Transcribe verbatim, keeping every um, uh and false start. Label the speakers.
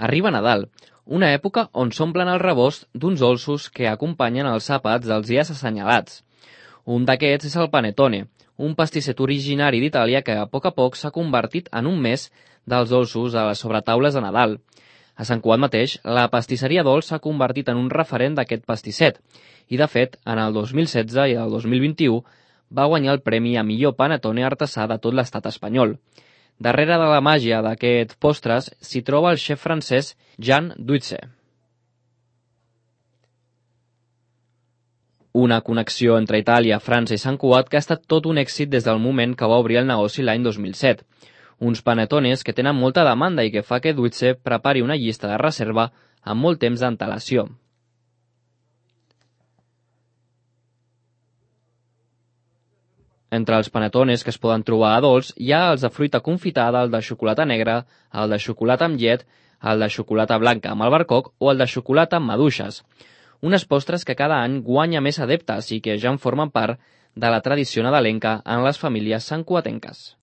Speaker 1: Arriba Nadal, una època on s'omplen el rebost d'uns dolços que acompanyen els àpats dels dies assenyalats. Un d'aquests és el panettone, un pastisset originari d'Itàlia que a poc a poc s'ha convertit en un mes dels dolços a les sobretaules de Nadal. A Sant Cugat mateix, la pastisseria Dols s'ha convertit en un referent d'aquest pastisset i, de fet, en el dos mil setze i el dos mil vint-i-u va guanyar el premi a millor panettone artesà de tot l'estat espanyol. Darrere de la màgia d'aquests postres s'hi troba el xef francès Jean Duitse. Una connexió entre Itàlia, França i Sant Cugat que ha estat tot un èxit des del moment que va obrir el negoci l'any dos mil set. Uns panettones que tenen molta demanda i que fa que Duitse prepari una llista de reserva amb molt temps d'antelació. Entre els panettones que es poden trobar a Dols hi ha els de fruita confitada, el de xocolata negra, el de xocolata amb llet, el de xocolata blanca amb albercoc o el de xocolata amb maduixes. Unes postres que cada any guanya més adeptes i que ja en formen part de la tradició nadalenca en les famílies santcugatenques.